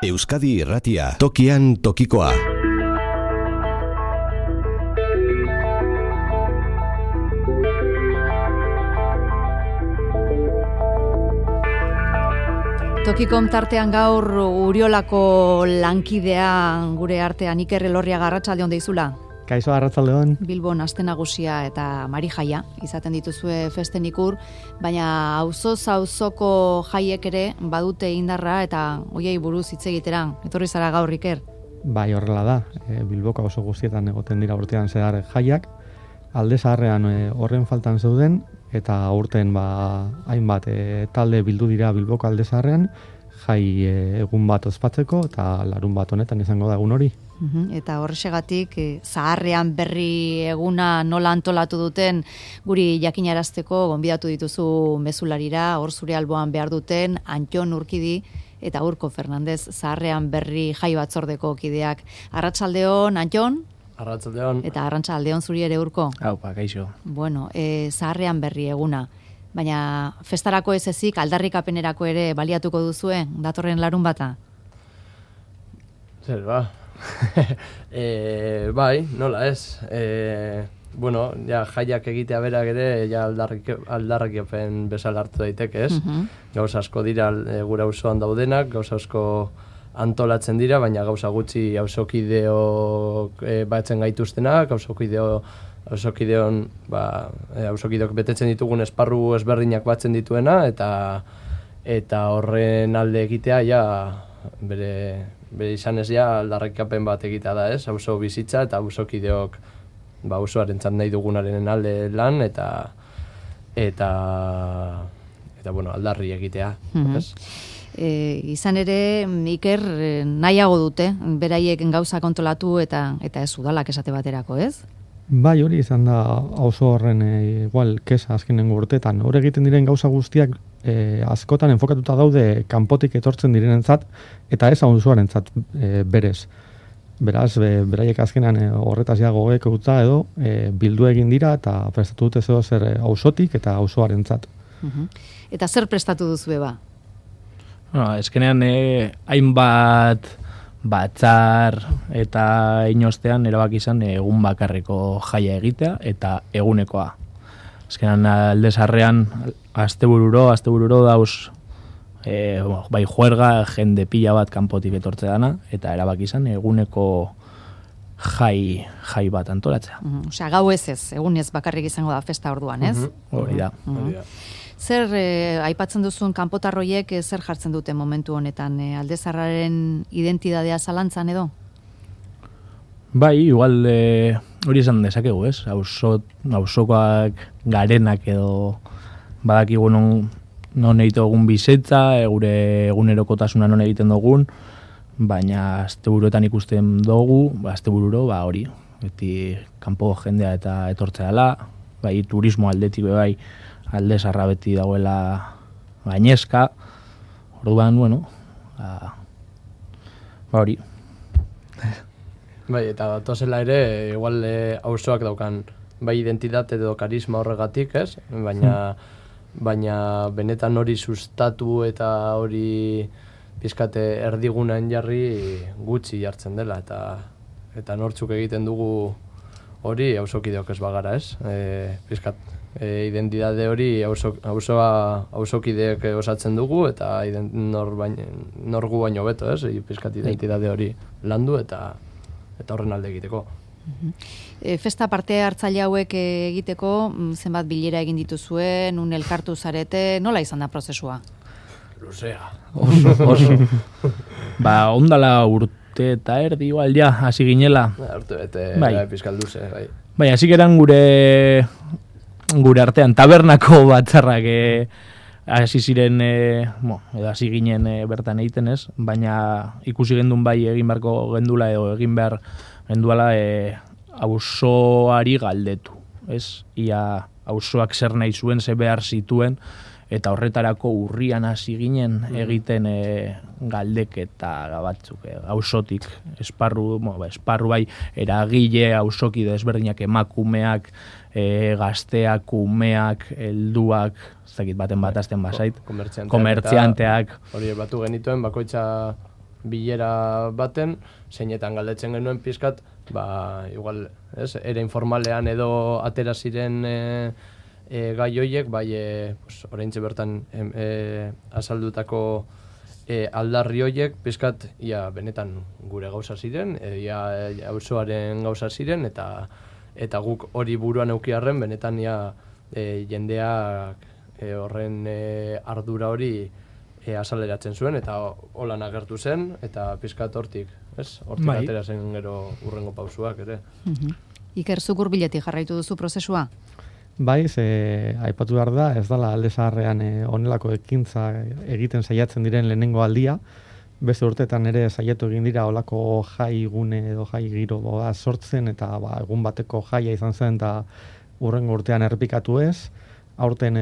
Euskadi Irratia, tokian tokikoa. Tokikom tartean gaur Uriolako lankidea gure artean Iker Elorriaga, arratsaldeon deizula. Kaixo, arratsaldeon. Bilbon aste nagusia eta Mari jaia izaten dituzue festen ikur, baina auzoko jaiek ere badute indarra eta hoiei buruz hitz egiteran. Etorri zara gaur, Iker? Bai, horrela da. Bilboko auzo guztietan egoten dira urtean zehar jaiak. Alde zaharrean horren faltan zeuden eta aurten hainbat talde bildu dira Bilboko alde zaharrean jai egun bat ospatzeko eta larun bat honetan izango da egun hori. Eta horrexegatik zaharrean berri eguna nola antolatu duten guri jakinarazteko gonbidatu dituzu mezularira, hor zure alboan behar duten Antxon Urkidi eta Urko Fernandez zaharrean berri jai batzordeko kideak. Arratsaldeon, Antxon? Arratsaldeon. Eta arratsaldeon zuri ere, Urko? Aupa, kaixo. Bueno, zaharrean berri eguna. Baina festarako ez ezik aldarrikapenerako ere baliatuko duzue datorren larun bata? Zer, ba. Bai, nola ez. Bueno, ja jaiak egitea berak ere ja aldarrikapen bezala hartu daiteke, ez? Gauza asko dira gure auzoan daudenak, gauza asko antolatzen dira, baina gauza gutxi auzokideok batzen gaituztenak, auzokideok betetzen ditugun esparru ezberdinak batzen dituena, eta horren alde egitea ja bere izanez ja aldarrikapen bat egitea da, ez? Auzo bizitza eta auzokideok auzoarentzat nahi dugunaren alde lan eta bueno, aldarri egitea, ez? Izan ere, Iker, nahiago dute, beraiek gauza kontolatu eta ez udalak esate baterako, ez? Bai, hori izan da auzo horren igual kesa azkenengo urteetan. Hor egiten diren gauza guztiak askotan enfokatuta daude kanpotik etortzen direnentzat eta ez auzoarentzat berez. Beraz, beraiek azkenan horretaz ja gogoekauta edo bildu egin dira eta prestatu dute zer auzotik eta auzoarentzat. Eta zer prestatu duzue ba? Bueno, eskenean hainbat batzar eta inostean erabaki izan egun bakarreko jaia egitea eta egunekoa. Eskenean alde zaharrean astebururo dauz bai juerga, jende pila bat kanpotik etortze dana eta erabaki izan eguneko jai bat antolatzea. Osea, gau ez, egunez bakarrik izango da festa orduan, ez? Hori da. Zer aipatzen duzun kanpotarroiek zer jartzen dute momentu honetan, alde zaharraren identitatea zalantzan edo? Bai, igual hori esan dezakegu, ez? Auzokoak garenak edo badakigu non egiten dugun bizetza, gure egunerokotasuna non egiten dugun, baina asteburuetan ikusten dugu, astebururo hori, beti kanpo jendea eta etortzea dela, bai turismo aldetik bai, alde zaharra beti dagoela gainezka, orduan, bueno, hori. Bai, eta datozela ere, igual auzoak daukan bai identitate edo karisma horregatik, ez? Baina benetan hori sustatu eta hori pizkate erdigunaen jarri gutxi jartzen dela, eta nortzuk egiten dugu hori auzokideok ez bagara, ez? Pizkat identitate hori auzokideek osatzen dugu eta nor gu baino beto, ez? Pizkat identitate hori landu eta horren alde egiteko. Festa parte hartzaile hauek egiteko zenbat bilera egin dituzuen, nun elkartu zarete, nola izan da prozesua? Luzea. Oso. Ondala urte eta erdi igual ja, hasi ginela. Urte bete, pizkat luze, bai. Bai, hasi geran gure artean tabernako batzarrak hasi ziren, edo hasi ginen bertan egiten ez, baina ikusi gendun bai egin beharko gendula edo egin behar genduala auzoari galdetu, ez? Ia auzoak zer nahi zuen, ze behar zituen, eta horretarako urrian hasi ginen egiten galdeketa batzuk, auzotik, esparru bai, eragile, auzokide ezberdinak, emakumeak, gazteak, umeak, helduak, ez dakit baten bat azten bazait, komertzianteak. Hori batu genituen, bakoitza bilera baten, zeinetan galdetzen genuen pizkat, igual, ez, ere informalean edo atera ziren gai hoiek, bai, oraintxe bertan azaldutako aldarri hoiek, pizkat, benetan gure gauza ziren, auzoaren gauza ziren, eta guk hori buruan eukiarren, benetan jendeak horren ardura hori azaleratzen zuen, eta holan agertu zen, eta pizkat hortik, ez? Hortik atera zen gero urrengo pausuak ere. Iker, zuk hurbiletik jarraitu duzu prozesua? Bai, aipatu behar da, ez dela alde zaharrean honelako ekintza egiten saiatzen diren lehenengo aldia, beste urteetan ere saiatu egin dira olako jai gune edo jai giro sortzen, eta egun bateko jaia izan zen, eta urrengo urtean errepikatu ez, aurten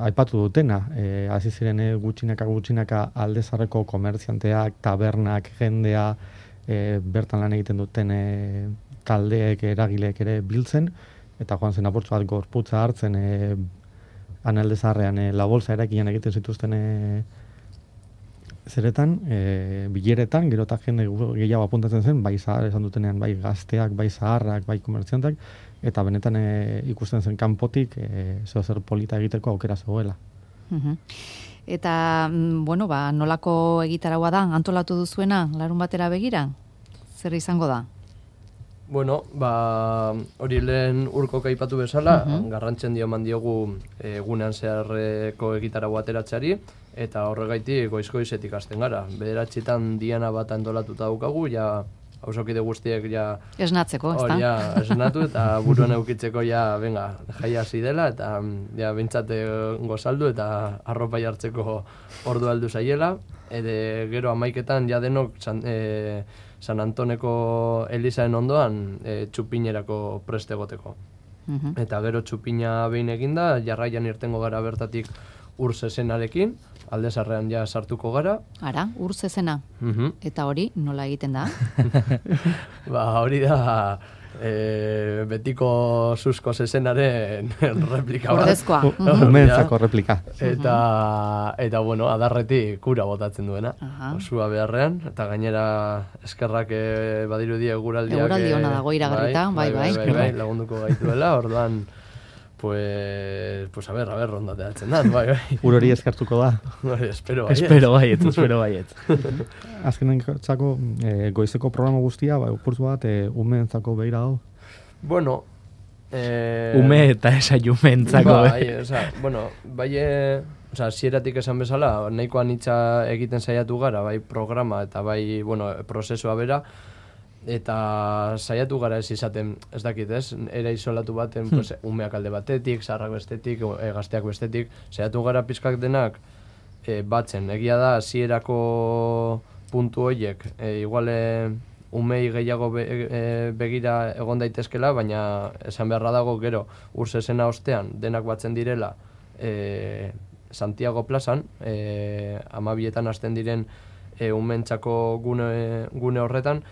aipatu dutena, hasi ziren gutxinaka alde zaharreko komertzianteak, tabernak, jendea, bertan lan egiten duten taldeek, eragileek ere biltzen, eta joan zen apurtxo bat gorputza hartzen alde zaharrean la bolsa erakian egiten zituzten zeretan, bileretan, gero eta jende gehiago apuntatzen zen, bai zahar esan dutenean, bai gazteak, bai zaharrak, bai komertziantak, eta benetan ikusten zen kanpotik zer polita egiteko aukera zegoela. Eta, nolako egitaragoa da, antolatu duzuena, larun batera begira? Zer izango da? Hori lehen urkok aipatu bezala, garrantzen dio mandiogu egunean zeharreko egitaragoa ateratzeari, eta horregaitik goiz-goizetik hasten gara. Bederatxetan diana bat antolatuta daukagu, hausokide guztiek esnatzeko, ez da? Esnatu eta buruan eukitzeko jaia hasi dela, eta bintzat gozaldu eta arropa jartzeko ordu aldu zaiela, gero 11etan denok San Antoneko Elizaen ondoan txupinerako preste egoteko. Eta gero txupina behin eginda, jarraian irtengo gara bertatik urzezenarekin, alde zarrean sartuko gara. Ara, urzezena. Eta hori nola egiten da? Hori da betiko susko zezenaren replika bat. Ordezkoa. Umeentzako replika. Eta adarretik kura botatzen duena. Osua beharrean, eta gainera eskerrak badirudi eguraldiak. Eguraldi hona dago iragarrita, bai. Lagunduko gaituela, orduan pues a ver, rondate hatzen da, bai. Urori eskartuko da. Espero baiet. Azkenen txako, goizeko programa guztia, upurtu bat, umeentzako behira hau? Ume eta esa jumeentzako. Zieratik esan bezala, nahikoan hitza egiten saiatu gara, bai programa eta bai, prozesua bera, eta saiatu gara ez izaten, ez dakit ez, era isolatu baten, umeak alde batetik, zaharrak bestetik, gazteak bestetik, saiatu gara pizkak denak batzen. Egia da, hasierako puntu horiek, igual umei gehiago begira egon daitezkela, baina esan beharra dago gero urzezena ostean denak batzen direla Santiago plazan, 12etan hasten diren umentzako gune horretan,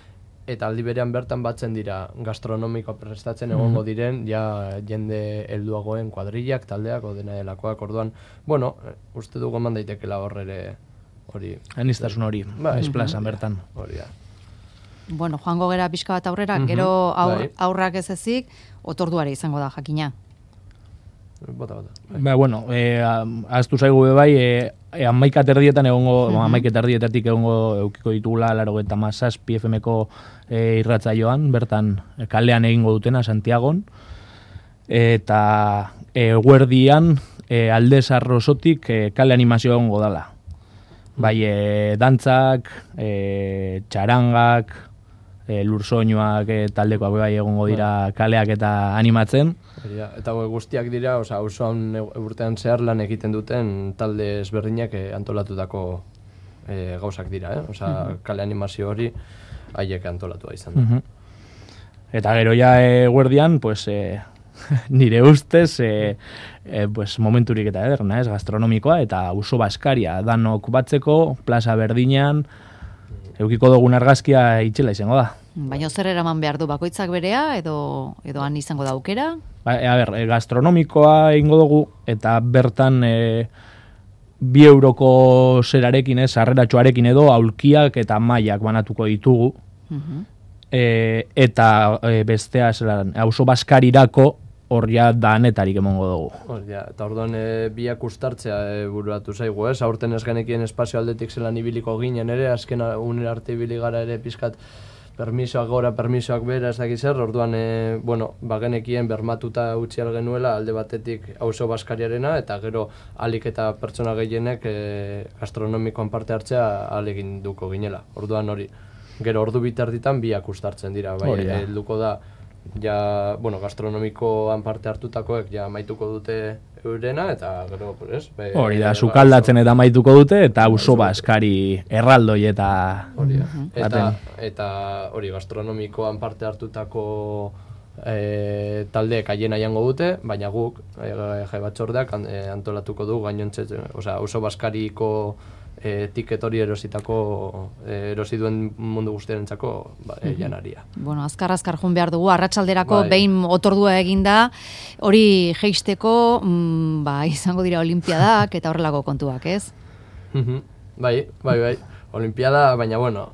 eta aldi berean bertan batzen dira gastronomiko prestatzen egongo diren, jende helduagoen kuadrillak, taldeak, dena delakoak, orduan, uste dugu eman daitekela horre hori. Aniztasun hori, esplazan bertan. Hori da. Joango gera pixka bat aurrera, gero aurrak ez ezik, otorduare izango da jakina. Bota. Aztu zaigu bai, 11 egongo, 11 egongo eukiko ditugula 97 FM-ko irratzaioan, bertan kalean egingo dutena, Santiagon, eta eguerdian alde zarrosotik kale animazio egongo dala. Bai, dantzak, txarangak, lursoinuak taldekoak bai egongo dira kaleak eta animatzen. Eta guztiak dira, auzoan urtean zehar lan egiten duten talde ezberdinak antolatutako gauzak dira, kale animazio hori haiek antolatua izan da. Eta gero eguerdian, nire ustez, momenturik eta ederna, gastronomikoa eta auzo baskaria, danok batzeko, plaza berdinean, eukiko dugun argazkia itxela izango da. Baina zer eraman behar du bakoitzak berea, edo han izango da aukera? Gastronomikoa egingo dugu, eta bertan €2 zerarekin, sarreratxoarekin edo, aulkiak eta mailak banatuko ditugu. Eta bestea, auzo baskarirako, hor ja danetarik emongo dugu. Eta orduan biak ustartzea buruatu zaigu, ez? Aurten ez genekien espazio aldetik zelan ibiliko ginen ere, azken unera arte ibili gara ere pizkat permisoak gora, permisoak bera, ez dakiz zer, orduan, genekien bermatuta utzi genuela alde batetik auzo baskariarena, eta gero alik eta pertsona gehienek gastronomikoan parte hartzea alegin duko ginela. Orduan hori, gero ordu bitarditan biak ustartzen dira, bai, helduko da, ja, gastronomikoan parte hartutakoek ja maituko dute eurena, eta gero, ez? Hori da, sukaldatzen eta maituko dute, eta auzo baskari erraldoi eta... Eta hori, gastronomikoan parte hartutako taldeek haien aiango dute, baina guk, jai batzordeak antolatuko du gainontzet, auzo baskariko tiket hori erosi duen mundu guztiarentzako janaria. Bueno, azkar joan behar dugu, arratsalderako behin otordua eginda, hori jeisteko, izango dira olimpiadak eta horrelako kontuak, ez? Bai, olimpiada, baina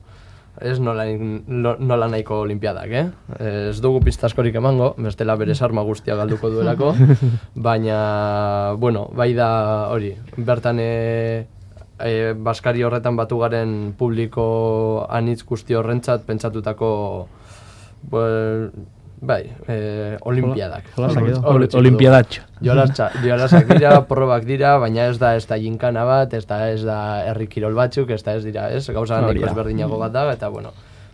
ez nola nahiko olimpiadak, Ez dugu piztaskorik emango, bestela bere sarma guztia galduko duelako, baina, bai da hori, bertan baskari horretan batu garen publiko anitz guzti horrentzat pentsatutako olimpiadak. Olimpiadatxo. Jolasak dira, probak dira, baina ez da jinkana bat, ez da herri kirol batzuk, ez dira, gauza nahiko ezberdinago bat da, eta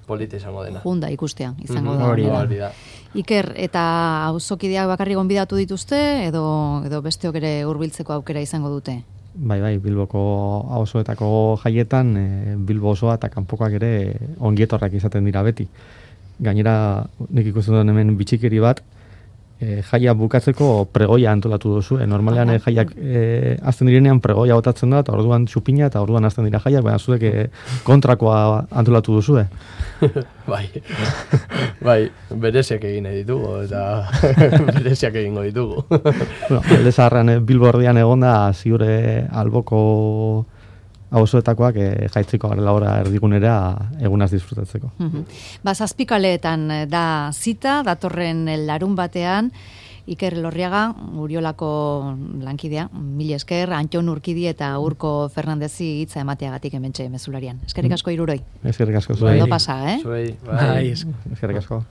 polita izango dena. Junda ikustea izango da. Iker, eta auzokideak bakarrik gonbidatu dituzte, edo besteok ere hurbiltzeko aukera izango dute? Bai, Bilboko auzoetako jaietan, Bilbo osoa eta kanpokoak ere ongietorrak izaten dira beti. Gainera, nik ikusten duen hemen bitxikeri bat, jaia bukatzeko pregoia antolatu duzu. Normalean jaiak azten direnean pregoia botatzen da, eta orduan txupina, eta orduan azten dira jaiak, baina zuek kontrakoa antolatu duzu. Bai, bereziak egin ditugu, eta bereziak egingo ditugu. Alde zaharrean Bilbo erdian egonda, ziure alboko auzoetakoak jaitzeko garela ora erdigunera egunaz disfrutatzeko. Zazpikaleetan da zita, datorren larun batean, Iker Elorriaga, Uriolako lankidea, mil esker, Antxon Urkidi eta Urko Fernandezi hitza emateagatik hementxe mezularian. Eskerrik asko Iruroi. Eskerrik asko zuei. Ondo pasa, Zuei, eskerrik asko.